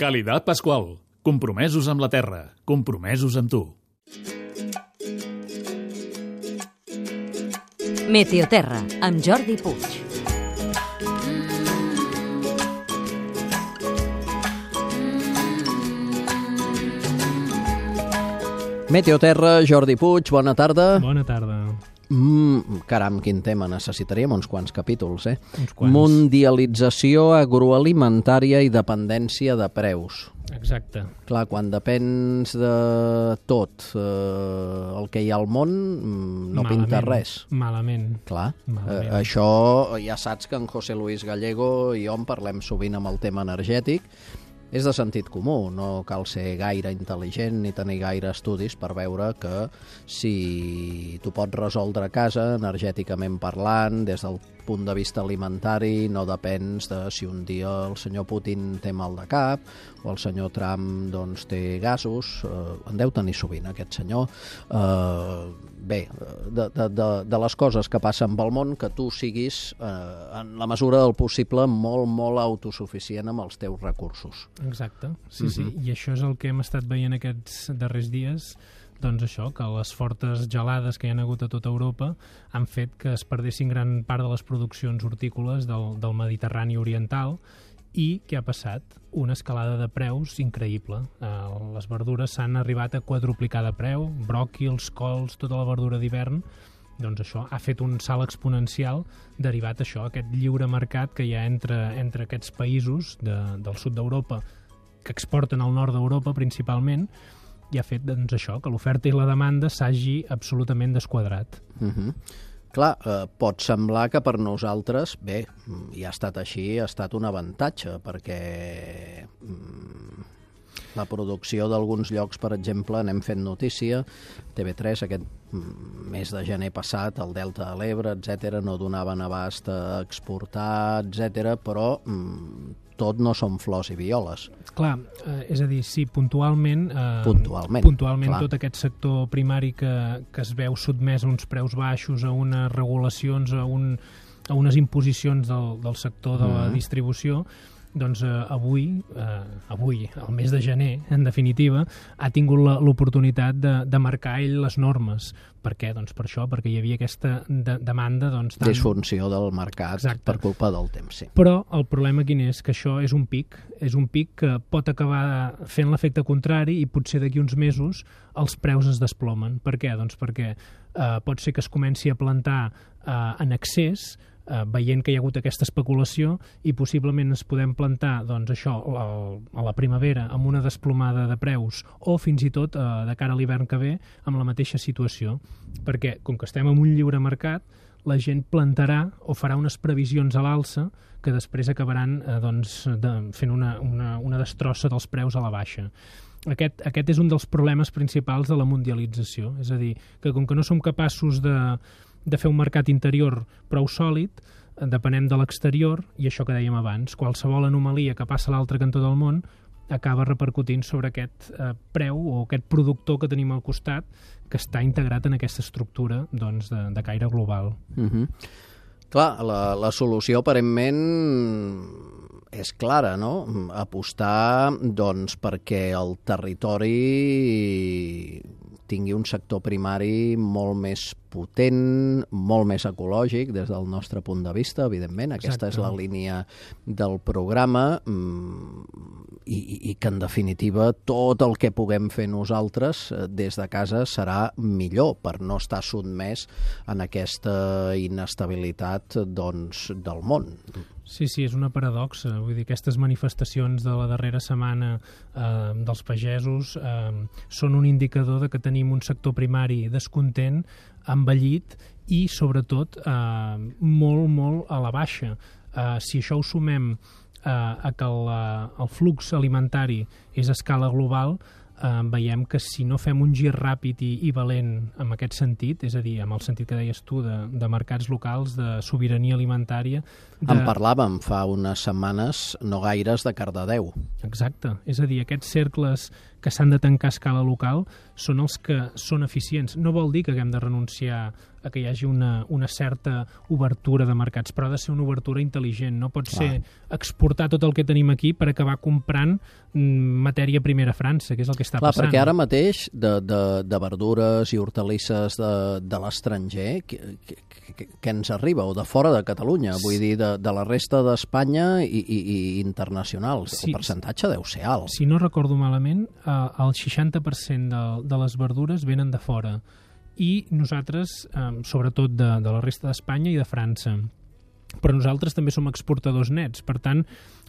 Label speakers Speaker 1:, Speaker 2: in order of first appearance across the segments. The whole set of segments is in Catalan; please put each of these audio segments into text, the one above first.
Speaker 1: Calidad Pascual. Compromesos amb la terra. Compromesos amb tu.
Speaker 2: Meteoterra, amb Jordi Puig.
Speaker 3: Meteoterra, Jordi Puig, bona tarda.
Speaker 4: Bona tarda.
Speaker 3: Caram, quin tema, necessitaríem uns quants capítols,
Speaker 4: Uns quants.
Speaker 3: Mundialització agroalimentària i dependència de preus.
Speaker 4: Exacte.
Speaker 3: Clar, quan depens de tot el que hi ha al món, no pinta res.
Speaker 4: Malament.
Speaker 3: Clar,
Speaker 4: Malament.
Speaker 3: això ja saps que en José Luis Gallego i jo en parlem sovint amb el tema energètic. És de sentit comú, no cal ser gaire intel·ligent ni tenir gaire estudis per veure que si tu pots resoldre a casa, energèticament parlant, des del punt de vista alimentari, no depens de si un dia el senyor Putin té mal de cap o el senyor Trump doncs, té gasos, en deu tenir sovint aquest senyor. Bé, de les coses que passen pel món, que tu siguis, en la mesura del possible, molt, molt autosuficient amb els teus recursos.
Speaker 4: Exacte, sí. I això és el que hem estat veient aquests darrers dies, doncs això, que les fortes gelades que hi ha hagut a tota Europa han fet que es perdessin gran part de les produccions hortícoles del Mediterrani oriental. I què ha passat? Una escalada de preus increïble. Les verdures s'han arribat a quadruplicar de preu, bròquils, cols, tota la verdura d'hivern. Doncs això ha fet un salt exponencial derivat això, aquest lliure mercat que hi ha entre aquests països del sud d'Europa que exporten al nord d'Europa principalment, i ha fet doncs, això, que l'oferta i la demanda s'hagi absolutament desquadrat.
Speaker 3: Clar, pot semblar que per nosaltres, bé, ja ha estat així, ha estat un avantatge, perquè la producció d'alguns llocs, per exemple, n'hem fet notícia, TV3 aquest mes de gener passat, el Delta de l'Ebre, etc., no donaven abast a exportar, etc., però tot no són flors i violes.
Speaker 4: Clar, és a dir, sí, puntualment
Speaker 3: clar.
Speaker 4: Tot aquest sector primari que es veu sotmès a uns preus baixos, a unes regulacions, a unes imposicions del sector de la distribució, doncs avui, el mes de gener, en definitiva, ha tingut l'oportunitat de marcar ell les normes. Per què? Doncs per això, perquè hi havia aquesta demanda... Doncs,
Speaker 3: disfunció del mercat. Exacte. Per culpa del temps, sí.
Speaker 4: Però el problema quin és? Que això és un pic que pot acabar fent l'efecte contrari i potser d'aquí uns mesos els preus es desplomen. Per què? Doncs perquè pot ser que es comenci a plantar en excés, veient que hi ha hagut aquesta especulació, i possiblement ens podem plantar doncs, això a la primavera amb una desplomada de preus o fins i tot de cara a l'hivern que ve amb la mateixa situació, perquè com que estem en un lliure mercat, la gent plantarà o farà unes previsions a l'alça que després acabaran fent una destrossa dels preus a la baixa. Aquest és un dels problemes principals de la mundialització, és a dir, que com que no som capaços de fer un mercat interior prou sòlid, depenem de l'exterior, i això que dèiem abans, qualsevol anomalia que passa a l'altre cantó del món acaba repercutint sobre aquest preu o aquest productor que tenim al costat que està integrat en aquesta estructura doncs, de caire global.
Speaker 3: Clar, la solució aparentment és clara, no? Apostar doncs, perquè el territori tingui un sector primari molt més potent, molt més ecològic des del nostre punt de vista, evidentment. Aquesta és la línia del programa i que, en definitiva, tot el que puguem fer nosaltres des de casa serà millor per no estar sotmès en aquesta inestabilitat doncs, del món.
Speaker 4: Sí, és una paradoxa. Vull dir, aquestes manifestacions de la darrera setmana dels pagesos són un indicador de que tenim un sector primari descontent, envellit i, sobretot, molt, molt a la baixa. Si això ho sumem a que el flux alimentari és a escala global, veiem que si no fem un gir ràpid i valent en aquest sentit, és a dir, amb el sentit que deies tu de mercats locals, de sobirania alimentària...
Speaker 3: En parlàvem fa unes setmanes no gaires de Cardedeu.
Speaker 4: Exacte, és a dir, aquests cercles que s'han de tancar a escala local són els que són eficients. No vol dir que haguem de renunciar a que hi hagi una certa obertura de mercats, però ha de ser una obertura intel·ligent. No pot ser exportar tot el que tenim aquí per acabar comprant matèria primera a França, que és el que està passant.
Speaker 3: Perquè ara mateix de verdures i hortalisses de l'estranger, què ens arriba? O de fora de Catalunya, vull dir, de la resta d'Espanya i internacionals. El percentatge deu ser alt.
Speaker 4: Si no recordo malament, el 60% de les verdures venen de fora. I nosaltres, sobretot de la resta d'Espanya i de França. Però nosaltres també som exportadors nets, per tant,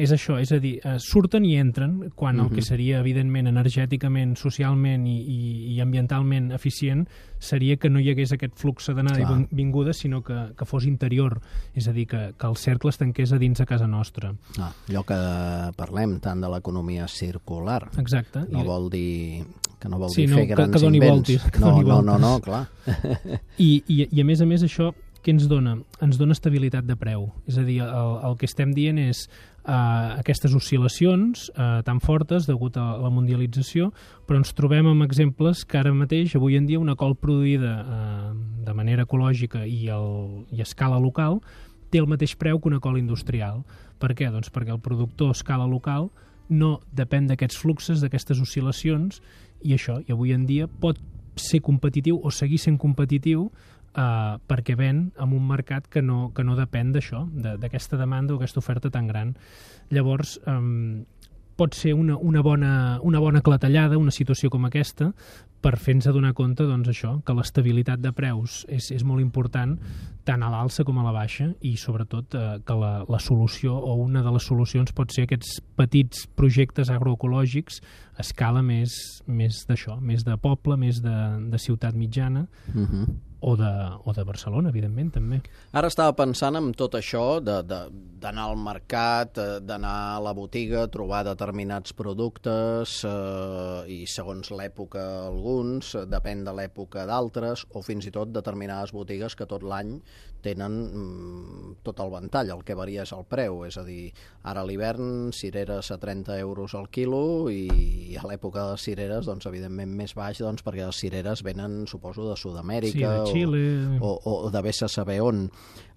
Speaker 4: és això, és a dir, surten i entren quan el que seria, evidentment, energèticament, socialment i ambientalment eficient seria que no hi hagués aquest flux d'anada i vinguda, sinó que fos interior, és a dir, que el cercle es tanqués a dins de casa nostra.
Speaker 3: Allò que parlem tant de l'economia circular.
Speaker 4: Exacte.
Speaker 3: No vol dir fer grans
Speaker 4: que doni
Speaker 3: invents.
Speaker 4: voltes.
Speaker 3: No, clar.
Speaker 4: I a més això, què ens dona? Ens dona estabilitat de preu. És a dir, el que estem dient és aquestes oscil·lacions tan fortes degut a la mundialització, però ens trobem amb exemples que ara mateix, avui en dia, una col produïda de manera ecològica i a escala local té el mateix preu que una col industrial. Per què? Doncs perquè el productor a escala local no depèn d'aquests fluxes, d'aquestes oscil·lacions, i avui en dia pot ser competitiu o seguir sent competitiu perquè ven en un mercat que no depèn d'això, d'aquesta demanda o aquesta oferta tan gran. Llavors, pot ser una bona clatellada, una situació com aquesta, per fer-nos adonar compte, doncs, això, que l'estabilitat de preus és molt important, tant a l'alça com a la baixa, i sobretot que la solució o una de les solucions pot ser aquests petits projectes agroecològics a escala més d'això, més de poble, més de ciutat mitjana, o de Barcelona, evidentment, també.
Speaker 3: Ara estava pensant en tot això d'anar al mercat, d'anar a la botiga, trobar determinats productes i segons l'època alguns, depèn de l'època d'altres, o fins i tot determinades botigues que tot l'any tenen tot el ventall, el que varia és el preu, és a dir, ara a l'hivern cireres a 30 euros al quilo i a l'època de les cireres, doncs, evidentment més baix, doncs, perquè les cireres venen, suposo, de Sud-amèrica,
Speaker 4: Xile
Speaker 3: o de vés a saber on.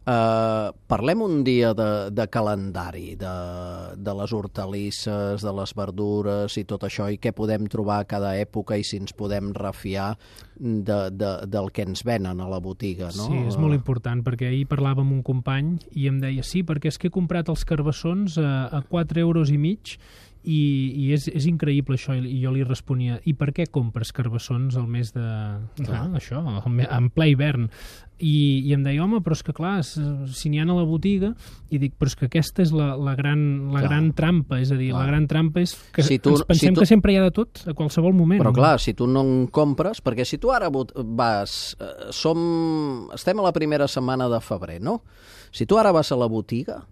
Speaker 3: Parlem un dia de calendari, de les hortalisses, de les verdures i tot això, i què podem trobar a cada època i si ens podem refiar del que ens venen a la botiga, no?
Speaker 4: Sí, és molt important, perquè ahir parlava amb un company i em deia, sí, perquè és que he comprat els carbassons a 4,5 euros i és increïble això, i jo li responia, i per què compres carbassons al mes això, en ple hivern? I em deia, home, però és que clar, si n'hi ha a la botiga, i dic, però és que aquesta és la gran trampa, és a dir, la gran trampa és que ens pensem que sempre hi ha de tot, a qualsevol moment.
Speaker 3: Però clar, si tu no en compres, perquè si tu ara vas, estem a la primera setmana de febrer, no? Si tu ara vas a la botiga,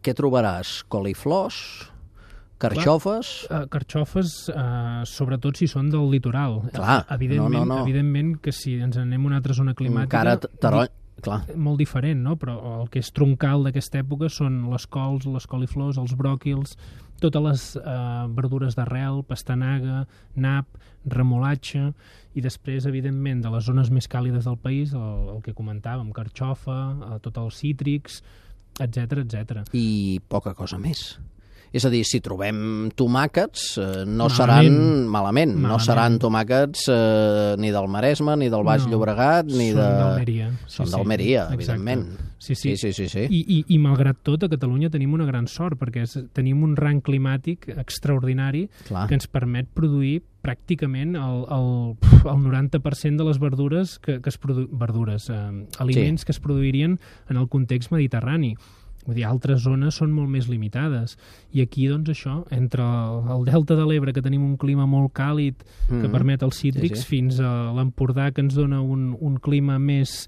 Speaker 3: què trobaràs? Coliflors? Carxofes?
Speaker 4: Carxofes, sobretot si són del litoral.
Speaker 3: Clar,
Speaker 4: evidentment que si ens anem a una altra zona climàtica... Molt diferent, no? Però el que és troncal d'aquesta època són les cols, les coliflors, els bròquils, totes les verdures d'arrel, pastanaga, nap, remolatge, i després, evidentment, de les zones més càlides del país, el que comentàvem, carxofa, tots els cítrics, etc.
Speaker 3: I poca cosa més. És a dir, si trobem tomàquets, no seran malament. No seran tomàquets ni del Maresme, ni del Baix Llobregat, ni de...
Speaker 4: Són d'Almeria.
Speaker 3: Són d'Almeria, evidentment.
Speaker 4: Sí. I malgrat tot, a Catalunya tenim una gran sort, perquè tenim un rang climàtic extraordinari que ens permet produir pràcticament el 90% de les verdures aliments que es produirien en el context mediterrani. Vull dir, altres zones són molt més limitades. I aquí, doncs, això, entre el Delta de l'Ebre, que tenim un clima molt càlid que permet els cítrics, fins a l'Empordà, que ens dona un clima més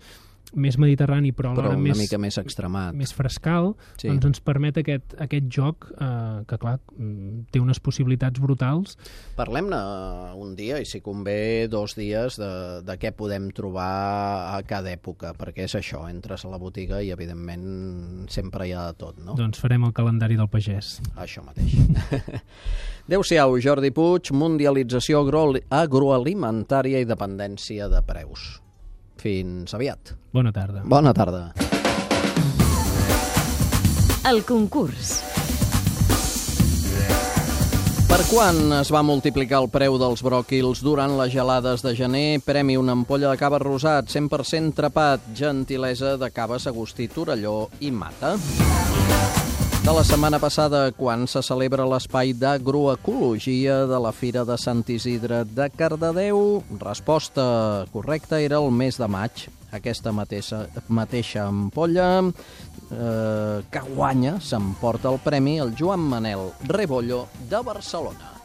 Speaker 4: més mediterrani, però alhora
Speaker 3: una mica més extremat.
Speaker 4: Més frescal,
Speaker 3: Sí.
Speaker 4: doncs ens permet aquest joc que, clar, té unes possibilitats brutals.
Speaker 3: Parlem-ne un dia, i si convé 2 dies, de què podem trobar a cada època, perquè és això, entres a la botiga i evidentment sempre hi ha de tot, no?
Speaker 4: Doncs farem el calendari del pagès.
Speaker 3: Això mateix. Adéu-siau, Jordi Puig, mundialització agroalimentària i dependència de preus. Fins aviat.
Speaker 4: Bona tarda.
Speaker 3: Bona tarda.
Speaker 2: El concurs.
Speaker 3: Per quan es va multiplicar el preu dels bròquils durant les gelades de gener? Premi una ampolla de cava rosat, 100% trepat, gentilesa de caves Agustí, Torelló i Mata. De la setmana passada, quan se celebra l'espai d'agroecologia de la Fira de Sant Isidre de Cardedeu? Resposta correcta era el mes de maig. Aquesta mateixa ampolla que guanya s'emporta el premi el Joan Manel Rebollo de Barcelona.